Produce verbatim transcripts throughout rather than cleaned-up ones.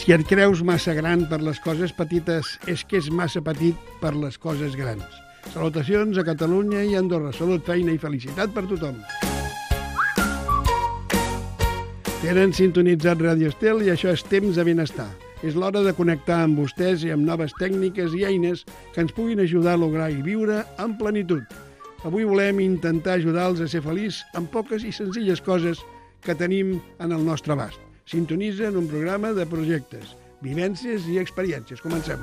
Si et creus massa gran per les coses petites, és que és massa petit per les coses grans. Salutacions a Catalunya i a Andorra. Salut, feina i felicitat per tothom. Tenen sintonitzat Ràdio Estel i això és temps de benestar. És l'hora de connectar amb vostès i amb noves tècniques i eines que ens puguin ajudar a lograr i viure amb plenitud. Avui volem intentar ajudar-los a ser feliços amb poques i senzilles coses que tenim en el nostre abast. Sintonitza en un programa de projectes, vivències i experiències. Comencem.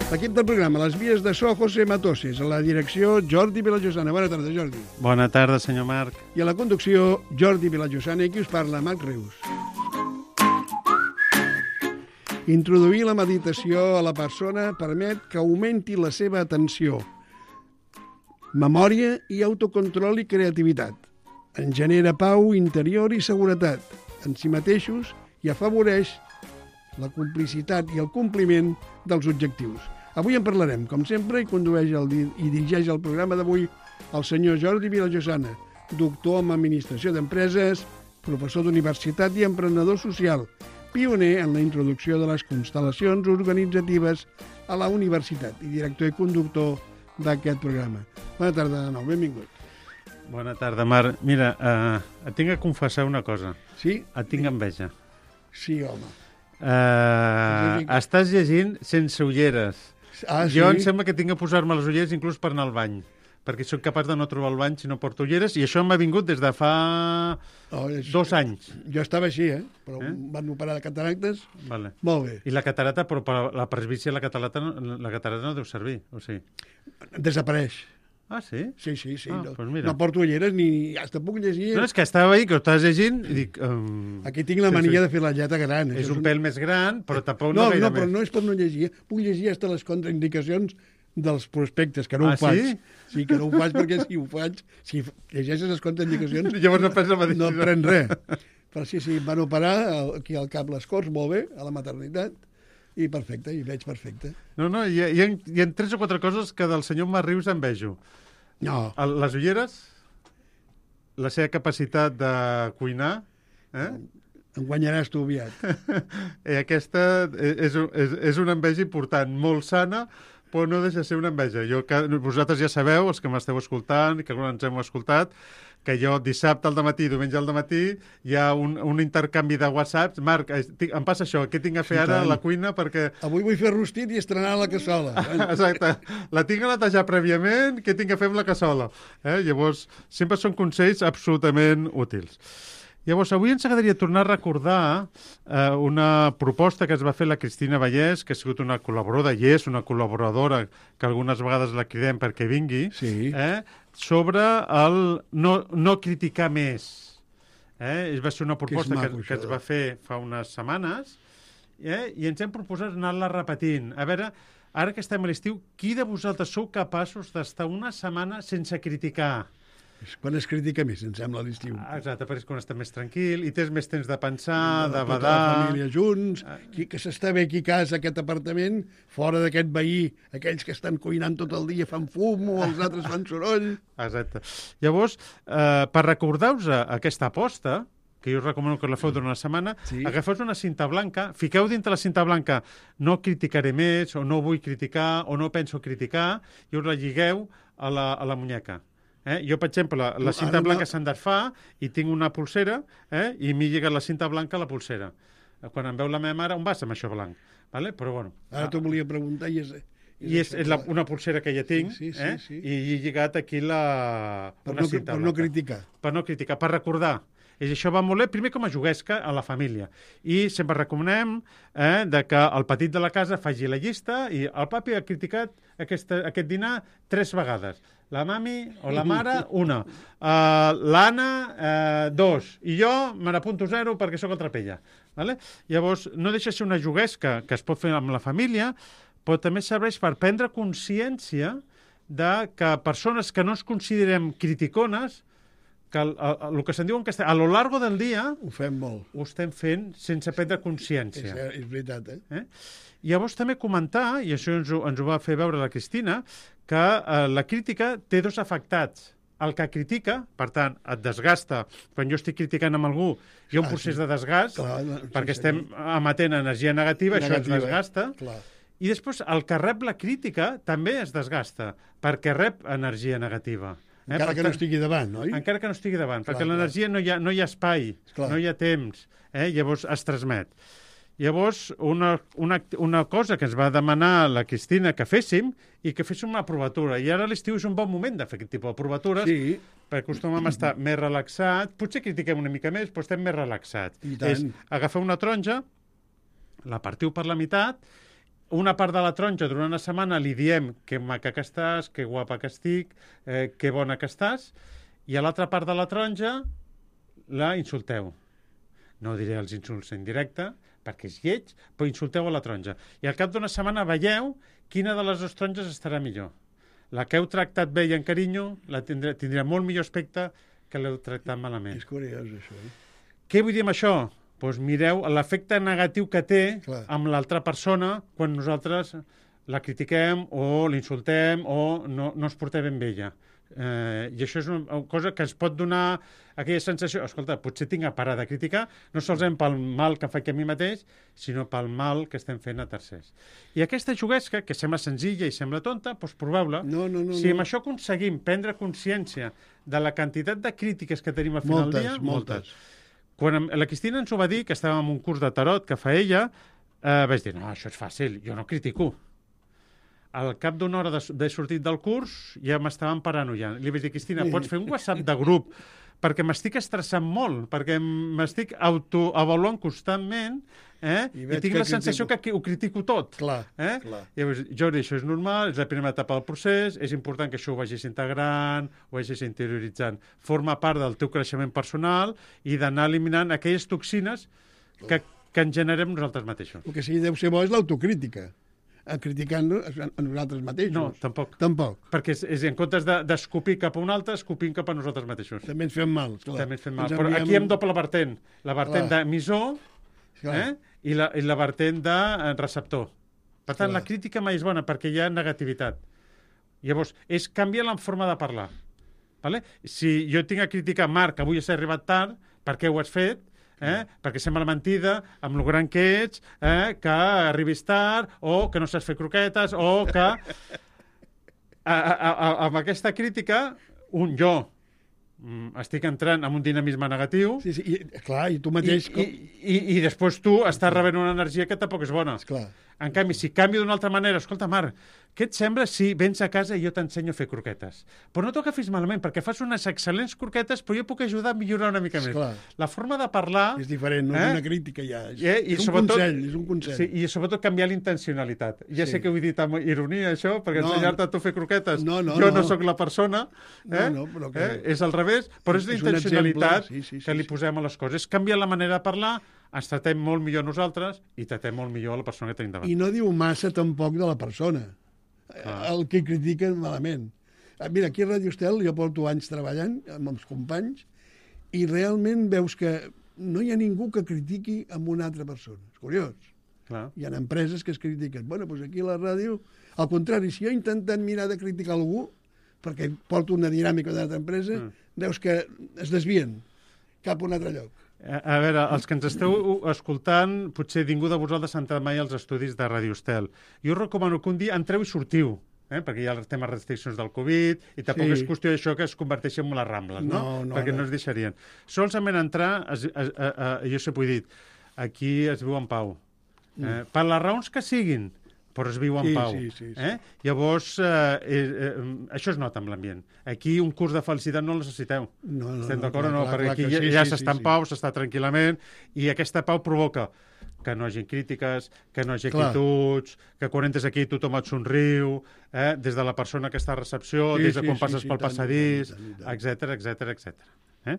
L'equip del programa, les vies de so, José Matoses, a la direcció, Jordi Vilallosana. Bona tarda, Jordi. Bona tarda, senyor Marc. I a la conducció, Jordi Vilallosana, i qui us parla, Marc Rius. Introduir la meditació a la persona permet que augmenti la seva atenció, memòria i autocontrol i creativitat. En genera pau interior i seguretat en si mateixos i afavoreix la complicitat i el compliment dels objectius. Avui en parlarem, com sempre, i condueix el, i dirigeix el programa d'avui el senyor Jordi Vilallosana, doctor en Administració d'Empreses, professor d'universitat i emprenedor social, pioner en la introducció de les constel·lacions organitzatives a la universitat i director i conductor d'aquest programa. Bona tarda de nou, benvingut. Bona tarda, Marc. Mira, eh, et tinc que confessar una cosa. Sí? Et tinc enveja. Sí, home. Uh, estàs llegint sense ulleres. Ah, sí? Jo em sembla que tinc que posar-me les ulleres inclús per anar al bany, perquè soc capaç de no trobar el bany si no porto ulleres, i això m'ha vingut des de fa oh, és... dos anys. Jo estava així, eh? Però eh? Em van operar de cataractes. Vale. Molt bé. I la catarata, però per la presbícia la catarata, la catarata no deu servir, o sigui? Desapareix. Ah, sí? Sí, sí, sí. Ah, no, pues mira. No porto ulleres ni... Hasta puc llegir... No, és que estava ahí, que ho estàs llegint, i dic... Um... Aquí tinc la mania sí, sí. de fer la lletra gran. És un, un pèl més gran, però tampoc no, no gaire no, però més. no és per no llegir. Puc llegir hasta les contraindicacions dels prospectes, que no ah, ho faig. Sí? Sí, que no ho faig, perquè si ho faig, si llegeixes les contraindicacions... Llavors no prens la medicina. No pren res. Però sí, sí, em van operar aquí al cap les Corts, molt bé, a la maternitat, i perfecte, i veig perfecte. No, no, hi ha, hi ha, hi ha tres o quatre coses que del senyor Marc Rius envejo. No. Les ulleres, la seva capacitat de cuinar... Eh? Em guanyaràs tu aviat. I aquesta és, és, és una enveja important, molt sana, però no deixa de ser una enveja. Jo, que, vosaltres ja sabeu, els que m'esteu escoltant, que alguns ens hem escoltat, que jo dissabte al dematí, diumenge al dematí, hi ha un, un intercanvi de whatsapps. Marc, em passa això, què tinc a fer sí, ara tant. a la cuina? Perquè... Avui vull fer rostit i estrenar la cassola. Exacte. La tinc a netejar prèviament, què tinc a fer amb la cassola? Eh? Llavors, sempre són consells absolutament útils. Llavors, avui ens agradaria tornar a recordar eh, una proposta que es va fer la Cristina Vallès, que ha sigut una col·laboradora, i és una col·laboradora, que algunes vegades la cridem perquè vingui, sí. eh, sobre el no, no criticar més. Eh? Va ser una proposta que, que, que es va fer fa unes setmanes, eh? i ens hem proposat anar-la repetint. A veure, ara que estem a l'estiu, qui de vosaltres sou capaços d'estar una setmana sense criticar? És quan es critica més, em sembla, a l'estiu. Exacte, perquè és quan estàs més tranquil i tens més temps de pensar, no, de badar. Tota la família junts, qui, que s'està bé aquí a casa, aquest apartament, fora d'aquest veí, aquells que estan cuinant tot el dia fan fum o els altres fan soroll. Exacte. Llavors, eh, per recordar-vos aquesta aposta, que jo us recomano que la feu durant una setmana, sí. agafeu una cinta blanca, fiqueu dintre la cinta blanca no criticaré més, o no vull criticar, o no penso criticar, i us la lligueu a la, a la muñeca. Eh? Jo, per exemple, la, la cinta Ara blanca no... se'n desfà i tinc una pulsera eh? i m'he lligat la cinta blanca a la pulsera. Quan em veu la meva mare, on vas amb això blanc? Vale? Però, bueno, Ara t'ho volia preguntar i és... és I és, és la, una pulsera que ja tinc sí, sí, sí, eh? sí. i he lligat aquí la... Per, una no, cinta per blanca. no criticar. Per no criticar, per recordar. I això va molt bé, primer com a juguesca a la família. I sempre recomanem eh, de que el petit de la casa faci la llista i el papi ha criticat aquesta, aquest dinar tres vegades. La mami o la mare, una. Uh, L'Anna, uh, dos. I jo me n'apunto zero perquè sóc el trapella. Vale? Llavors, no deixa ser una juguesca que es pot fer amb la família, però també serveix per prendre consciència de que persones que no ens considerem criticones, que el, el, el que se'n diu en castellà, a lo largo del dia... Ho fem molt. Ho estem fent sense prendre consciència. És, és veritat, eh? eh? Llavors també comentar, i això ens ho, ens ho va fer veure la Cristina, que eh, la crítica té dos afectats. el que critica, per tant, et desgasta. Quan jo estic criticant amb algú, hi ha un Ah, procés sí. de desgast, Clar, no, perquè sí, estem emetent energia negativa, Negativa, això ens desgasta. clar. I després, el que rep la crítica també es desgasta, perquè rep energia negativa. Eh? Encara Per que no tant, estigui davant, oi? encara que no estigui davant, Clar, perquè clar. l'energia no, hi ha, no hi ha espai, Clar. no hi ha temps, eh? Llavors es transmet. Llavors, una, una, una cosa que ens va demanar la Cristina que féssim i que féssim una provatura. I ara a l'estiu és un bon moment de fer aquest tipus de provatures, Sí, perquè acostumem a estar més relaxats. Potser critiquem una mica més, però estem més relaxats. I tant. És agafar una taronja, la partiu per la meitat, una part de la taronja durant una setmana li diem que maca que estàs, que guapa que estic, eh, que bona que estàs, i a l'altra part de la taronja la insulteu. No diré els insults en directe, perquè és lleig, però insulteu a la taronja. I al cap d'una setmana veieu quina de les dues taronges estarà millor. La que heu tractat bé i amb carinyo la tindrà, tindrà molt millor aspecte que l'heu tractat malament. és curiós, això. Eh? Què vull dir amb això? Doncs mireu l'efecte negatiu que té Clar. amb l'altra persona quan nosaltres la critiquem o l'insultem o no, no ens portem ben bé ella. Eh, I això és una cosa que ens pot donar aquella sensació, escolta, potser tinc a parar de criticar, no solament pel mal que faig a mi mateix, sinó pel mal que estem fent a tercers. I aquesta juguesca, que sembla senzilla i sembla tonta, doncs proveu-la. No, no, no. Si no. amb això aconseguim prendre consciència de la quantitat de crítiques que tenim al final Moltes, del dia, moltes. Quan em- la Cristina ens ho va dir, que estàvem en un curs de tarot que fa ella, eh, vaig dir, no, això és fàcil, jo no critico. Al cap d'una hora de- d'haver sortit del curs ja m'estaven paranoiant. Li vaig dir, Cristina, pots fer un WhatsApp de grup perquè m'estic estressant molt, perquè m'estic autoavaluant constantment eh? I I, veig tinc que la sensació critico. que qui- ho critico tot. Clar, Eh? clar. Llavors, Jordi, això és normal, és la primera etapa del procés, és important que això ho vagis integrant, ho vagis interioritzant. Forma part del teu creixement personal i d'anar eliminant aquelles toxines que, que en generem nosaltres mateixos. El que sí deu ser bo és l'autocrítica. A criticant-nos a nosaltres mateixos. No, tampoc. Tampoc. Perquè és, és en comptes de- d'escopir cap a un altre, escopim cap a nosaltres mateixos. També ens fem mal, clar. També ens fem mal. Ens Però enviem- aquí hi ha doble vertent. La vertent Clar. d'emissor Clar. eh? I, la, i la vertent de eh, receptor. Per tant, Clar. la crítica mai és bona perquè hi ha negativitat. Llavors, és canviar la forma de parlar. Vale? Si jo tinc a criticar, Marc, avui has arribat tard, per què ho has fet? Eh? Perquè sembla mentida, amb lo gran que ets, eh? que arribis tard, o que no saps fer croquetes, o que... A, a, a, amb aquesta crítica, un jo mm, estic entrant en un dinamisme negatiu, Sí, sí, i, clar, i tu i, mateix... i, i, i després tu estàs rebent una energia que tampoc és bona. Clar. En canvi, si canvio d'una altra manera, escolta, Marc, què et sembla si vens a casa i jo t'ensenyo a fer croquetes? Però no t'ho agafis malament, perquè fas unes excel·lents croquetes, però jo puc ajudar a millorar una mica més. Esclar. La forma de parlar... És diferent, no Eh? és una crítica ja. És, Eh? I és un sobretot- consell, és un consell. Sí, i sobretot canviar la intencionalitat. Ja Sí. sé que ho he dit amb ironia, això, perquè No, ensenyar-te a tu a fer croquetes. no, no, jo no, no. sóc la persona. Eh? No, no, però que- eh? És al revés, però és la És un intencionalitat exemple, sí, sí, sí, que li sí. posem a les coses. És canviar la manera de parlar, ens tratem molt millor nosaltres i tratem molt millor a la persona que tenim davant. I no diu massa tampoc de la persona. Ah. El que critiquen malament. Ah, Mira, aquí a Ràdio Estel jo porto anys treballant amb els companys i realment veus que no hi ha ningú que critiqui amb una altra persona. És curiós. Clar. Hi ha empreses que es critiquen. Bueno, doncs aquí a la ràdio, al contrari, si jo he intentat mirar de criticar algú, perquè porto una dinàmica d'una altra empresa, Mm. veus que es desvien cap a un altre lloc. A, a veure, els que ens esteu escoltant, potser ningú de vosaltres ha entrat mai als estudis de Ràdio Estel. Jo us recomano que un dia entreu i sortiu, eh? perquè hi ha els temes restriccions del Covid i tampoc Sí. és qüestió d'això que es converteixi en les Rambles, no? No, no, perquè no. no. no es deixarien. Solament entrar, es, es, a, a, jo sempre ho he dit, aquí es viu en pau. Eh? Per les raons que siguin, però es viu en Sí, pau. sí, sí, sí. Eh? Llavors, eh, eh, eh, això es nota amb l'ambient. Aquí un curs de felicitat no el necessiteu. No, no, Estem no, d'acord o clar, no? clar, Perquè clar aquí que ja, sí, ja sí, s'està sí, en sí. pau, s'està tranquil·lament, i aquesta pau provoca que no hagi crítiques, que no hagi Clar. actituds, que quan entres aquí tothom et somriu, eh? des de la persona que està a recepció, Sí, des de sí, quan sí, passes sí, pel tant, passadís, i tant, i tant. etc etc etc. Eh?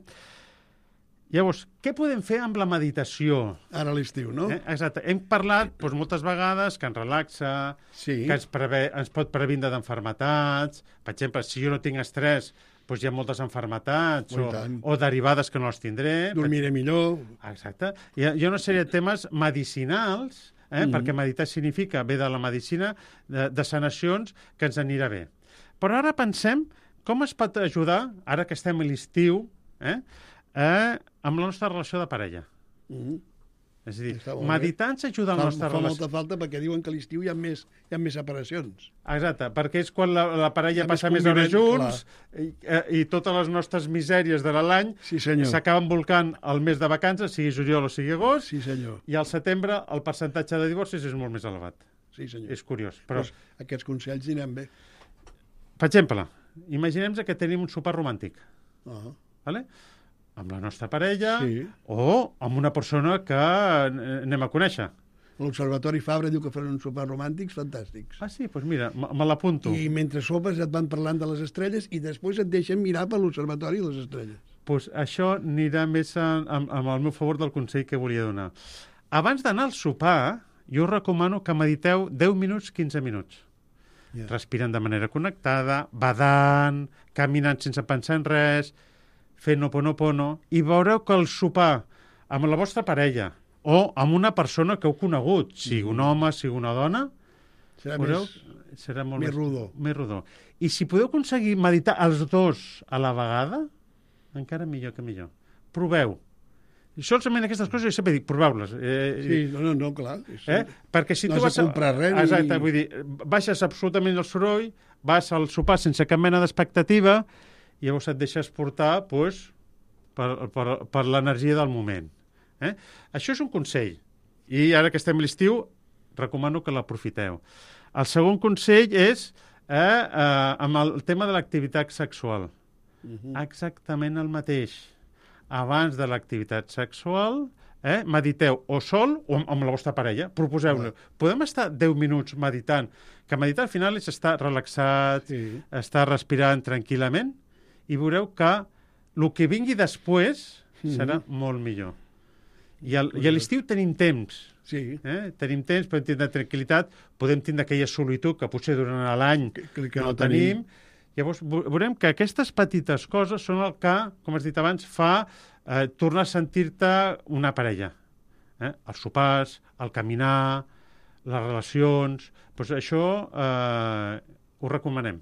Llavors, què podem fer amb la meditació? Ara a l'estiu, no? Eh? Exacte. Hem parlat doncs, moltes vegades que ens relaxa, Sí. que ens, preve, ens pot previndre d'enfermetats. Per exemple, si jo no tinc estrès, doncs hi ha moltes enfermetats Oh, i o, tant. o derivades que no les tindré. Dormiré millor. Exacte. Hi ha, hi ha una sèrie de temes medicinals, eh? Mhm. perquè meditar significa, ve de la medicina, de, de sanacions, que ens anirà bé. Però ara pensem com es pot ajudar, ara que estem a l'estiu, eh, eh, amb la nostra relació de parella? Mm-hmm. És a dir, meditar ens ajuda a la nostra relació. Fa relació. molta falta perquè diuen que a l'estiu hi ha més, hi ha més separacions. Exacte, perquè és quan la, la parella passa més hores junts i, i totes les nostres misèries de l'any sí, s'acaben volcant al mes de vacances, sigui juliol o sigui agost, sí, senyor. I al setembre el percentatge de divorcis és molt més elevat. Sí, senyor. És curiós. Però... Pues aquests consells aniran bé. Per exemple, imaginem que tenim un sopar romàntic. Uh-huh. Vale? Amb la nostra parella sí. o amb una persona que anem a conèixer. L'Observatori Fabra diu que faran uns sopars romàntics fantàstics. Ah, sí? Doncs pues mira, me l'apunto. I mentre sopes et van parlant de les estrelles i després et deixen mirar per l'Observatori les estrelles. Doncs pues això anirà més amb, amb el meu favor del consell que volia donar. Abans d'anar al sopar, jo us recomano que mediteu deu minuts, quinze minuts. Yeah. Respirant de manera connectada, badant, caminant sense pensar en res, fent Ho'oponopono, i veureu que el sopar amb la vostra parella o amb una persona que heu conegut, sigui un home, sigui una dona, serà, veureu, més, serà molt més, rodó. més rodó. I si podeu aconseguir meditar els dos a la vegada, encara millor que millor. Proveu. I solament aquestes coses, jo sempre dic, proveu-les. Eh, sí, no, no, no, clar. Eh? Perquè si no tu has vas de comprar res. Exacte, i... vull dir, baixes absolutament el soroll, vas al sopar sense cap mena d'expectativa, i llavors et deixes portar pues, per, per, per l'energia del moment. Eh? Això és un consell. I ara que estem a l'estiu, recomano que l'aprofiteu. El segon consell és eh, eh, amb el tema de l'activitat sexual. Uh-huh. Exactament el mateix. Abans de l'activitat sexual, eh, mediteu o sol o amb, amb la vostra parella. Proposeu-lo. Uh-huh. Podem estar deu minuts meditant. Que meditar al final és estar relaxat, sí. Estar respirant tranquil·lament, i veureu que el que vingui després mm-hmm. serà molt millor. I, el, i a l'estiu tenim temps. Sí. Eh? Tenim temps, podem tindre tranquil·litat, podem tindre aquella solitud que potser durant l'any que, que, que no, no tenim. tenim. Llavors veurem que aquestes petites coses són el que, com has dit abans, fa eh, tornar a sentir-te una parella. Eh? Els sopars, el caminar, les relacions... Doncs això eh, ho recomanem.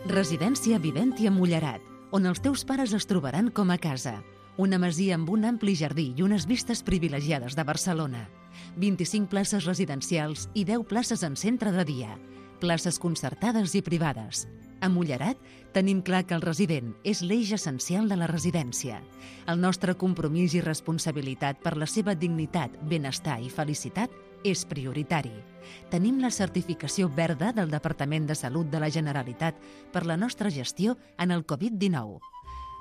Residència Viventia Mullerat, on els teus pares es trobaran com a casa. Una masia amb un ampli jardí i unes vistes privilegiades de Barcelona. vint-i-cinc places residencials i deu places en centre de dia. Places concertades i privades. A Mullerat tenim clar que el resident és l'eix essencial de la residència. El nostre compromís i responsabilitat per la seva dignitat, benestar i felicitat és prioritari. Tenim la certificació verda del Departament de Salut de la Generalitat per la nostra gestió en el covid dinou.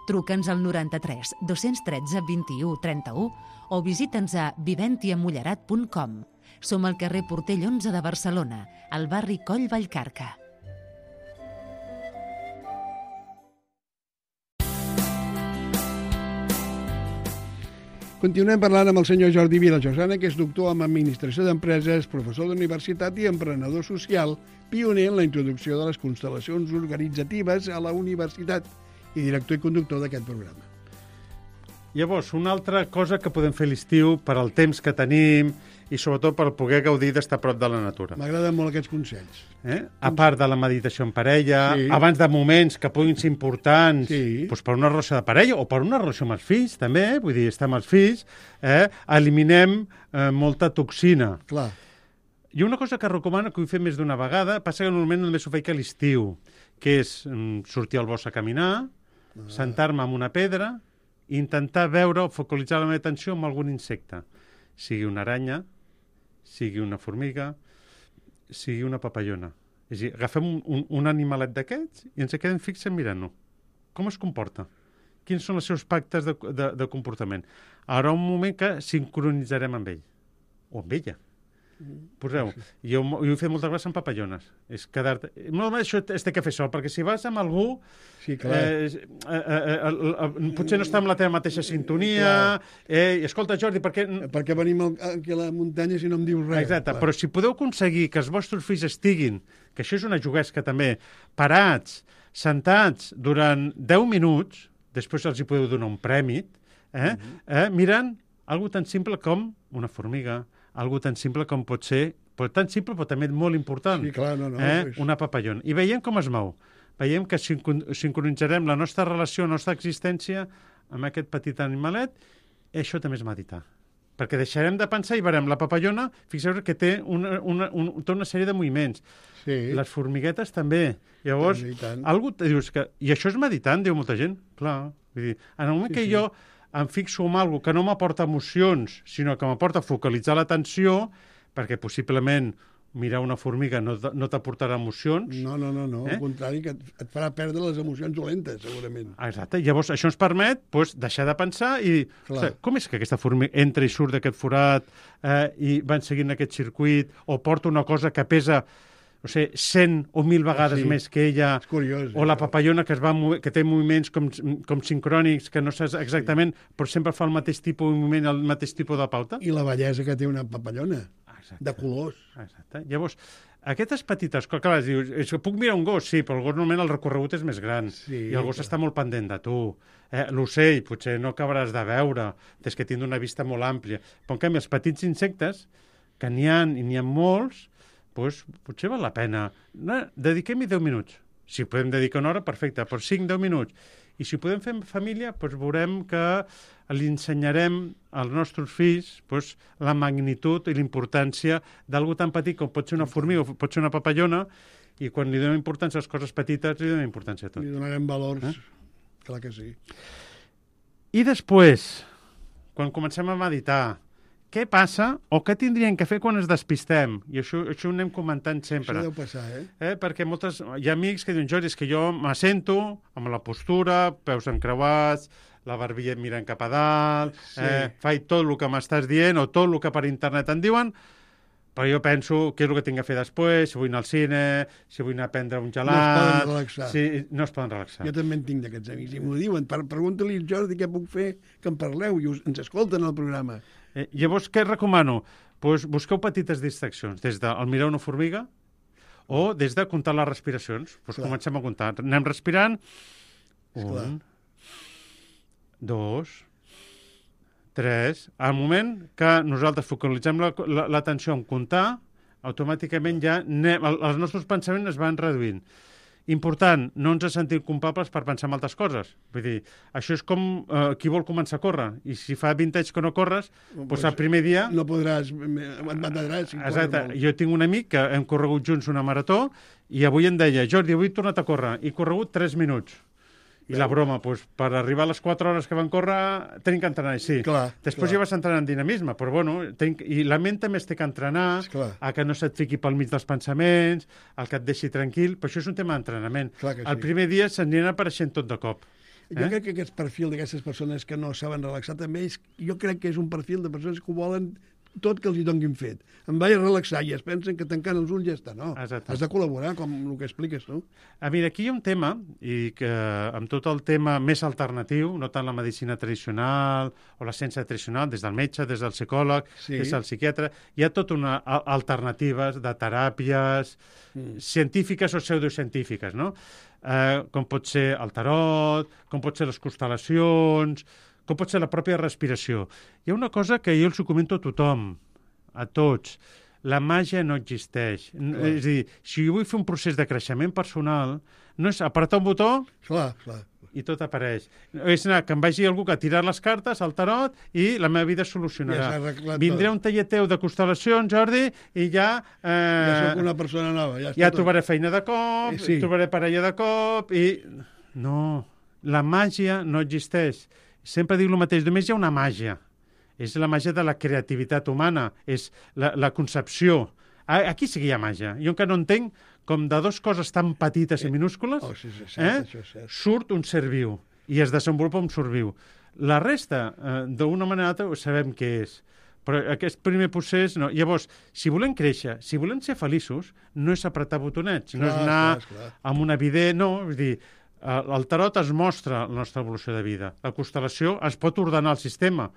Truca'ns al noranta-tres dos-cents tretze vint-i-u trenta-u o visita'ns a viventia mullerat punt com. Som al carrer Portell onze de Barcelona, al barri Coll Vallcarca. Continuem parlant amb el senyor Jordi Vilajosana, que és doctor en Administració d'Empreses, professor d'universitat i emprenedor social, pioner en la introducció de les constel·lacions organitzatives a la universitat i director i conductor d'aquest programa. Llavors, una altra cosa que podem fer a l'estiu per al temps que tenim i sobretot per poder gaudir d'estar a prop de la natura. M'agraden molt aquests consells. Eh? A part de la meditació en parella, sí. Abans de moments que puguin ser importants, sí. Doncs per una relació de parella o per una relació amb els fills, també, eh? Vull dir, estar amb els fills, eh? eliminem eh, molta toxina. Clar. I una cosa que recomano, que ho he fet més d'una vegada, passa que normalment només ho faig a l'estiu, que és mm, sortir al bosc a caminar, ah. sentar-me en una pedra i intentar veure o focalitzar la meva atenció en algun insecte, sigui una aranya, sigui una formiga, sigui una papallona. És a dir, agafem un, un, un animalet d'aquests i ens quedem fixen mirant-lo. Com es comporta? Quins són els seus pactes de, de, de comportament? Ara un moment que sincronitzarem amb ell. O amb ella. Poseu, jo, jo ho he fet moltes vegades amb papallones. És quedar-te... Normalment això es té que fer sol, perquè si vas amb algú, sí, clar. Eh, eh, eh, eh, eh, potser no està amb la teva mateixa sintonia. Eh, escolta, Jordi, per què... Per què venim aquí a la muntanya si no em dius res? Exacte, clar. Però si podeu aconseguir que els vostres fills estiguin, que això és una juguesca també, parats, sentats durant deu minuts, després els hi podeu donar un prèmit, eh, uh-huh. eh, mirant algo tan simple com una formiga, algo tan simple com pot ser però tan simple, però també molt important. Sí, clar, no, no. Eh? Pues... Una papallona. I veiem com es mou. Veiem que sincron sincronitzarem la nostra relació, la nostra existència amb aquest petit animalet, i això també és meditar. Perquè deixarem de pensar i veurem la papallona, fixeu que té una, una, un, tota una sèrie de moviments. Sí. Les formiguetes també. Llavors, algú te dius que... I això és meditant, diu molta gent. Clar. Vull dir, en el moment sí, que sí. jo em fixo en alguna que no m'aporta emocions, sinó que m'aporta focalitzar l'atenció, perquè possiblement mirar una formiga no, no t'aportarà emocions. No, no, no, no. Eh? Al contrari, que et farà perdre les emocions dolentes, segurament. Exacte. Llavors, això ens permet doncs, deixar de pensar i dir, ostres, com és que aquesta formiga entra i surt d'aquest forat eh, i van seguint aquest circuit o porta una cosa que pesa no sé, cent o mil vegades sí. més que ella, és curiós, o la papallona que, es va que té moviments com, com sincrònics, que no saps exactament, sí. però sempre fa el mateix tipus de moviment, el mateix tipus de pauta. I la bellesa que té una papallona. Exacte. De colors. Exacte. Llavors, aquestes petites coses, clar, dius, puc mirar un gos? Sí, però el gos normalment el recorregut és més gran sí, i el gos clar. està molt pendent de tu. Eh, L'ocell potser no acabaràs de veure, des que tindrà una vista molt àmplia. Però en canvi, els petits insectes, que n'hi ha i n'hi ha molts, doncs potser val la pena. No, dediquem-hi deu minuts. Si podem dedicar una hora, perfecte, però cinc deu minuts. I si podem fer família, doncs veurem que li ensenyarem als nostres fills doncs, la magnitud i la importància d'algú tan petit com pot ser una formiga o pot ser una papallona, i quan li donem importància a les coses petites, li donem importància a tot. Li donarem valors, eh? Clar que sí. I després, quan comencem a meditar, què passa o què tindríem que fer quan ens despistem? I això, això ho anem comentant sempre. Això deu passar, eh? eh? Perquè moltes, hi ha amics que diuen, Jordi, és que jo m'assento amb la postura, peus encreuats, la barbilla mirant cap a dalt, sí. eh, faig tot el que m'estàs dient o tot el que per internet em diuen, però jo penso què és el que tinc que fer després, si vull anar al cine, si vull anar a prendre un gelat... No es poden relaxar. Si, no es poden relaxar. Jo també en tinc d'aquests amics i m'ho diuen. Pregunta-li al Jordi què puc fer, que em parleu, i us, ens escolten al programa. Eh, llavors, què recomano? Pues busqueu petites distraccions, des del mirar una formiga o des de comptar les respiracions. Pues comencem a comptar. Anem respirant. Esclar. Un, dos, tres. Al moment que nosaltres focalitzem l'atenció en comptar, automàticament ja anem, els nostres pensaments es van reduint. Important, no ens sentim culpables per pensar en altres coses. Vull dir, això és com eh, qui vol començar a córrer. I si fa vint anys que no corres, doncs pues el primer dia... No podràs, et mataràs. Si exacte. Jo tinc un amic que hem corregut junts una marató i avui em deia, Jordi, avui he tornat a córrer. He corregut tres minuts. I la broma, doncs, per arribar a les quatre hores que van córrer, tenim que entrenar, sí. Clar, Després clar. ja vas entrenar en dinamisme, però bueno, tenim... i la ment també es té que entrenar, Esclar. a que no se't fiqui pel mig dels pensaments, al que et deixi tranquil, però això és un tema d'entrenament. Sí. El primer dia s'anirà apareixent tot de cop. Jo eh? crec que aquest perfil d'aquestes persones que no saben relaxar també és, jo crec que és un perfil de persones que ho volen tot que els hi donguin fet. Em vaig a relaxar i es pensen que tancant els ulls ja està. No, exacte. Has de col·laborar, com el que expliques tu. A veure, aquí hi ha un tema, i que amb tot el tema més alternatiu, no tant la medicina tradicional o la ciència tradicional, des del metge, des del psicòleg, sí. des del psiquiatre, hi ha tot una alternatives de teràpies mm. científiques o pseudocientífiques, no? Eh, com pot ser el tarot, com pot ser les constel·lacions, com pot ser la pròpia respiració. Hi ha una cosa que jo els ho comento a tothom, a tots. La màgia no existeix. Clar. És a dir, si jo vull fer un procés de creixement personal, no és apretar un botó clar, clar. i tot apareix. És anar, que em vagi algú que ha tirat les cartes al tarot i la meva vida es solucionarà. Ja Vindré un taller teu de constel·lacions, Jordi, i ja... Eh, ja soc una persona nova. Ja, ja trobaré feina de cop, sí. trobaré parella de cop, i... No, la màgia no existeix. Sempre dic el mateix, només hi ha una màgia. És la màgia de la creativitat humana, és la, la concepció. Aquí sí que hi ha màgia. Jo encara no entenc com de dues coses tan petites i minúscules oh, sí, sí, cert, eh, això és cert. surt un ser viu i es desenvolupa un ser viu. La resta, eh, d'una manera o altra, sabem què és. Però aquest primer procés... No. Llavors, si volem créixer, si volem ser feliços, no és apretar botonets, clar, no és anar clar, clar. amb una evident... No, és dir, el tarot es mostra la nostra evolució de vida. La constel·lació es pot ordenar el sistema.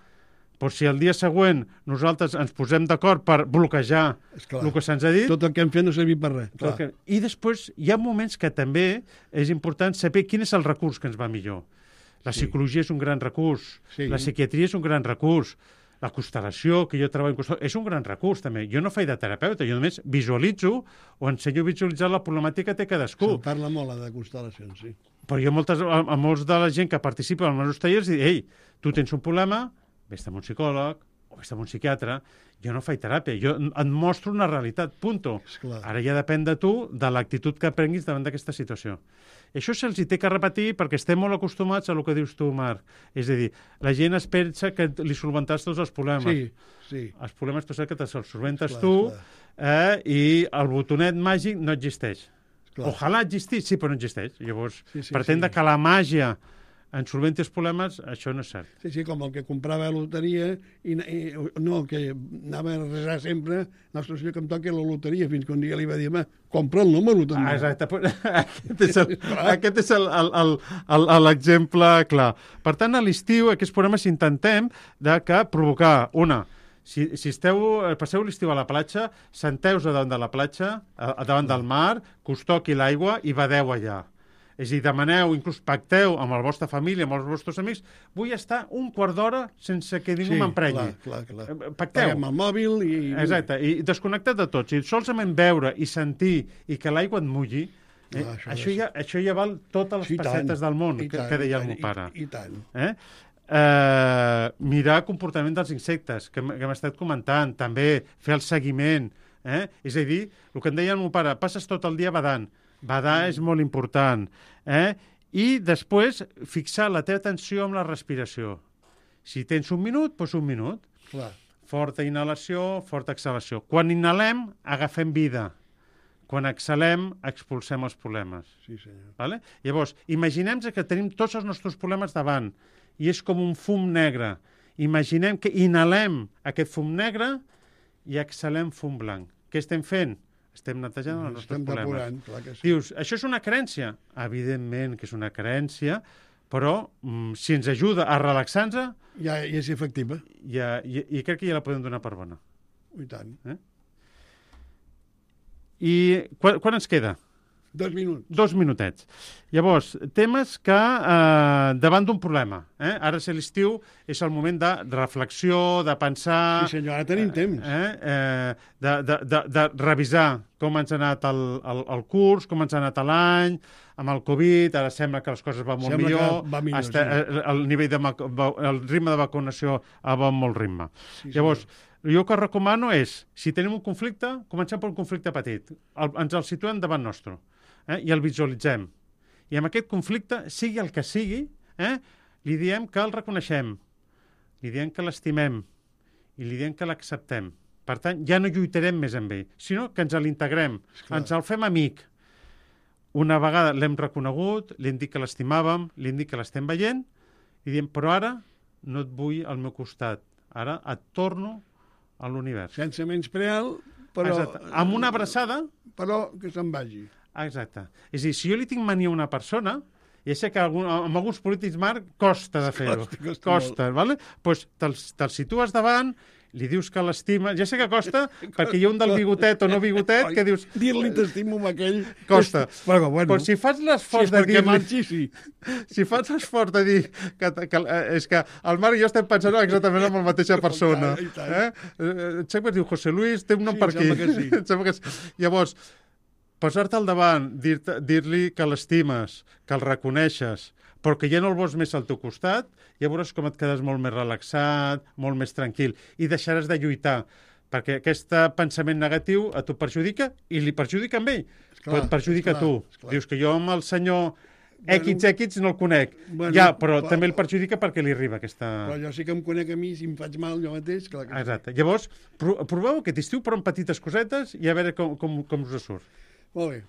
Però si el dia següent nosaltres ens posem d'acord per bloquejar Esclar. el que se'ns ha dit... Tot el que hem fet no servir per res. Que... I després hi ha moments que també és important saber quin és el recurs que ens va millor. La sí. psicologia és un gran recurs. Sí. La psiquiatria és un gran recurs. la constel·lació, que jo treballo en constel·lació, és un gran recurs, també. Jo no faig de terapeuta, jo només visualitzo o ensenyo a visualitzar la problemàtica que té cadascú. Se'n parla molt de constel·lacions, sí. Però jo moltes, a, a molts de la gent que participa en els meus tallers dic, ei, tu tens un problema, vés amb un psicòleg o vés amb un psiquiatre, jo no faig teràpia, jo et mostro una realitat, punto. Esclar. Ara ja depèn de tu, de l'actitud que prenguis davant d'aquesta situació. I això se'ls hi té que repetir perquè estem molt acostumats a el que dius tu, Marc. És a dir, la gent es pensa que li solventats tots els problemes. Sí, sí. Els problemes pensa que te'ls solventes Esclar, tu esclar. eh, i el botonet màgic no existeix. Esclar. Ojalà existís, sí, però no existeix. Llavors, Sí, sí, pretendre sí. que la màgia en solventi els problemes, això no és cert. Sí, sí, com el que comprava loteria i, i no, el que anava a resar sempre, Nostre Senyor que em toqui la loteria, fins que un dia li va dir, home, compra el número també. Ah, exacte. Aquest és el- aquest és el- el- el- el- el- l'exemple clar. Per tant, a l'estiu, aquests programes intentem de que provocar una... Si, si esteu, passeu l'estiu a la platja, senteu-vos davant de la platja, a, a davant del mar, que us toqui l'aigua i badeu allà. És a dir, demaneu, inclús pacteu amb la vostra família, amb els vostres amics, vull estar un quart d'hora sense que ningú Sí, m'emprenyi. clar, clar, clar. Eh, Pacteu. Paguem el mòbil i... Exacte, i desconnectat de tots. I solament veure i sentir i que l'aigua et mulli, eh? Ah, això això, és- ja, això ja val totes les Sí, i tant, pessetes del món, i que, tant, que deia i el tant, meu pare. I, i tant. Eh? Eh, mirar el comportament dels insectes, que, hem- que hem estat comentant, també fer el seguiment. Eh? És a dir, el que em deia el meu pare, passes tot el dia badant. Badar és molt important. Eh? I després fixar la teva atenció amb la respiració. Si tens un minut, doncs un minut. Clar. Forta inhalació, forta exhalació. Quan inhalem, agafem vida. Quan exhalem, expulsem els problemes. Sí, senyor. Vale? Llavors, imaginem que tenim tots els nostres problemes davant i és com un fum negre. Imaginem que inhalem aquest fum negre i exhalem fum blanc. Què estem fent? Estem netejant els nostres Estem problemes. depurant, clar que sí. Dius, això és una creencia? Evidentment que és una creencia, però mm, si ens ajuda a relaxar-nos, Ja, ja és efectiva. ja, i, i crec que ja la podem donar per bona. I tant. I quan, quan ens queda? Dos minuts. Dos minutets. Llavors, temes que eh, davant d'un problema. Eh? Ara, si l'estiu, és el moment de reflexió, de pensar... Sí, senyor, ara tenim temps. Eh? Eh, de, de, de, de revisar com ens ha anat el, el, el curs, com ens ha anat l'any, amb el Covid, ara sembla que les coses van molt Sembla que millor, va millor, Està, sí. el, el, nivell de, mac- va- el ritme de vacunació va amb molt ritme. Sí, senyor. Llavors, jo que recomano és, si tenim un conflicte, comencem per un conflicte petit. El, ens el situem davant nostre. Eh? I el visualitzem. I amb aquest conflicte, sigui el que sigui, eh? li diem que el reconeixem, li diem que l'estimem i li diem que l'acceptem. Per tant, ja no lluitarem més amb ell, sinó que ens l'integrem, Esclar. ens el fem amic. Una vegada l'hem reconegut, li hem dit que l'estimàvem, li hem dit que l'estem veient, i diem, però ara no et vull al meu costat, ara et torno a l'univers. Sense menysprear, però... Exacte. Amb una abraçada. Però que se'n vagi. Exacte. És a dir, si jo li tinc mania a una persona, ja sé que algun, amb alguns polítics, Marc, costa de fer-ho. Costa, costa Costa, vale? Pues te'l te situes davant, li dius que l'estima... Ja sé que costa, perquè hi ha un del bigotet o no bigotet que dius... Dir-li t'estimo amb aquell... Costa. Però, bueno, Però si fas si l'esforç és de perquè dir-li... marxi, sí. Si fas l'esforç de dir que, que, eh, és que el Marc i jo estem pensant exactament en la mateixa persona. I tant, Eh? Eh, em sembla que es diu José Luis, té un nom Sí, per em aquí. sembla que sí. Em sembla que sí. Llavors, posar-te al davant, dir-te- dir-li que l'estimes, que el reconeixes, però que ja no el vols més al teu costat, ja veuràs com et quedes molt més relaxat, molt més tranquil, i deixaràs de lluitar, perquè aquest pensament negatiu a tu perjudica i li perjudica amb ell, Esclar, però et perjudica a tu. esclar. Dius que jo amb el senyor Bueno, X X no el conec. bueno, ja, però però- també el perjudica perquè li arriba aquesta... Però jo sí que em conec a mi, si em faig mal jo mateix, clar que sí. Exacte. Llavors, pro- proveu aquest estiu, però amb petites cosetes i a veure com, com, com us surt. Molt bé.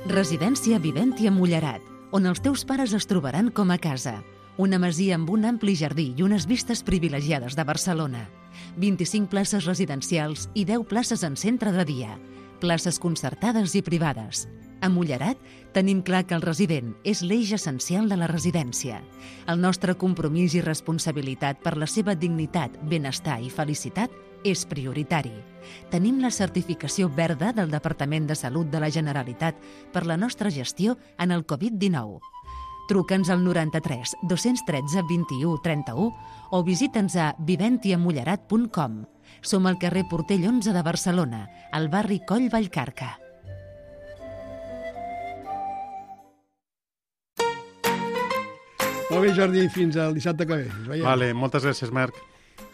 Residència Viventi a Mollerat, on els teus pares es trobaran com a casa. Una masia amb un ampli jardí i unes vistes privilegiades de Barcelona. vint-i-cinc places residencials i deu places en centre de dia. Places concertades i privades. A Mollerat tenim clar que el resident és l'eix essencial de la residència. El nostre compromís i responsabilitat per la seva dignitat, benestar i felicitat és prioritari. Tenim la certificació verda del Departament de Salut de la Generalitat per la nostra gestió en el Covid dinou. Truca'ns al noranta-tres dos-cents tretze vint-i-u trenta-u o visita'ns a viventiamullerat punt com. Som al carrer Portell onze de Barcelona, al barri Coll Vallcarca. Molt bé, Jordi, fins al dissabte que ve. Ens veiem. Vale, moltes gràcies, Marc.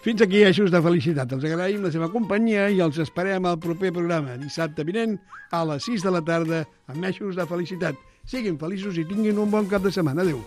Fins aquí, Eixos de Felicitat. Els agraïm la seva companyia i els esperem al proper programa, dissabte vinent, a les sis de la tarda, amb Eixos de Felicitat. Siguin feliços i tinguin un bon cap de setmana. Adéu.